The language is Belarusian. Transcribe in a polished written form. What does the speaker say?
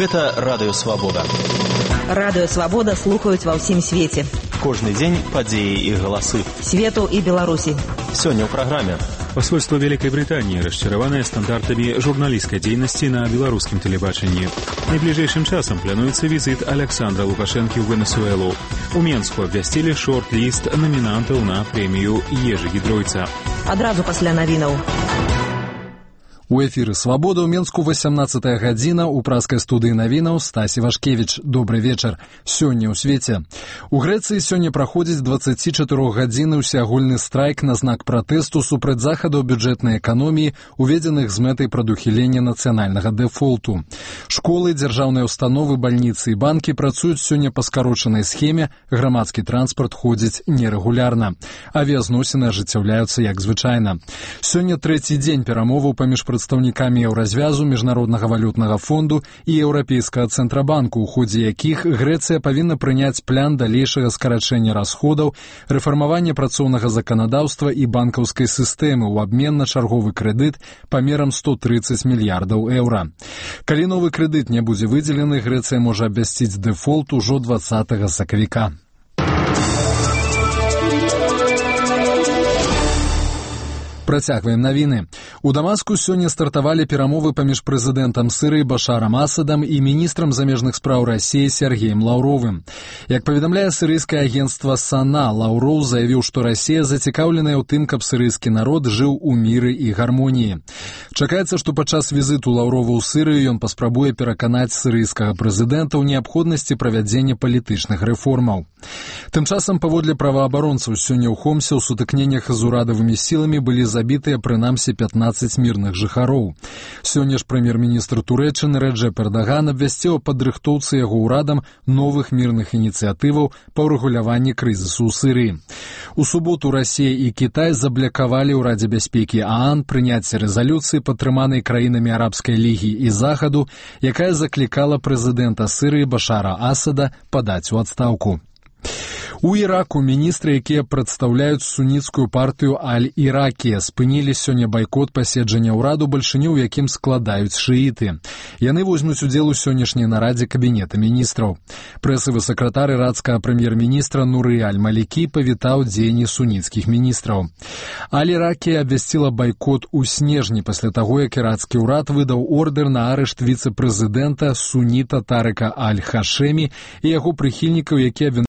Гэта Радыё Свабода. Радыё Свабода слухаюць ва ўсім свеце. Кожны дзень падзеі і галасы. Свету і Беларусі. Сёння ў праграме. Посольство Великой Британии, расчарованное стандартами журналистской деятельности на белорусском телебачении. Найближэйшым часам плануецца візит Александра Лукашэнкі ў Венесуэлу. У Менску абвясцілі шорт-ліст намінантаў на прэмію Ежы Гідройца. Адразу пасля навінаў. У эфіры «Свабода» ў Менску 18 гадзіна ў праскай студыі навінаў Стасі Вашкевіч. Добры вечар. Сёння ў свеце. У Грэцыі сёння праходзіць 24-гадзінны ўсеагульны страйк на знак пратэсту супраць захадаў бюджэтнай эканоміі, уведзеных з мэтай прадухілення нацыянальнага дэфолту. Школы, дзяржаўныя ўстановы, бальніцы і банкі працуюць сёння па скарочанай схеме, грамадскі транспарт ходзіць нерэгулярна. Авіязносіны ажыццяўляюцца як звычайна. Сёння трэці дзень перамоваў паміж прадстаўнікамі Еўразвязу, Міжнароднага валютнага фонду і Еўрапейскага цэнтрабанку, у ходзе якіх Грэцыя павінна прыняць план далейшага скарачэння расходаў, рэфармавання працоўнага заканадаўства і банкаўскай сістэмы ў абмен на чарговы крэдыт памерам 130 мільярдаў еўра. Калі новы крэдыт не будзе выдзелены, Грэцыя можа абвясціць дэфолт ужо 20 сакавіка. Працягваем навіны. У Дамаску сёння стартавалі перамовы паміж прэзідэнтам Сірыі Башарам Асадам і міністрам замежных спраў Расіі Сергеем Лаўровым. Як паведамляе сірыйскае агенцтва САНА, Лаўроў заявіў, што Расія зацікаўленая ў тым, каб сірыйскі народ жыў у міры і гармоніі. Чакаецца, што падчас візіту Лаўрова ў Сірыю ён паспрабуе пераканаць сірыйскага прэзідэнта ў неабходнасці правядзення палітычных рэформаў. Тым часам, паводле праваабаронцаў, сёння ў Хомсе ў сутыкненнях з урадавымі сіламі былі забітыя прынамсі 15 мірных жыхароў. Сёння ж прэм'ер-міністр Турэччыны Рэджэп Эрдаган абвясціў о падрыхтоўцы яго ўрадам новых мірных ініцыятываў па ўрэгуляванні крызісу ў Сірыі. У суботу Расія і Кітай заблакавалі ў Радзе бяспекі ААН прыняцце рэзалюцыі, падтрыманай краінамі Арабскай лігі і Захаду, якая заклікала прэзідэнта Сірыі Башара Асада падаць у адстаўку. У Іраку міністры, якія прадстаўляюць суніцкую партыю Аль-Іракія, спынілі сёння байкот паседжання ўраду, бальшыню ў якім складаюць шыіты. Яны возьмуць удзел у сённяшняй нарадзе кабінета міністраў. Прэсавы сакратар ірацкага прэм'ер-міністра Нуры Аль-Малікі павітаў дзеянні суніцкіх міністраў. Аль-Іракія абвясціла байкот у снежні пасля таго, як ірацкі ўрад выдаў ордэр на арышт віцэ-прэзідэнта суніта Тарыка Аль-Хашэмі і яго прыхільнікаў, якія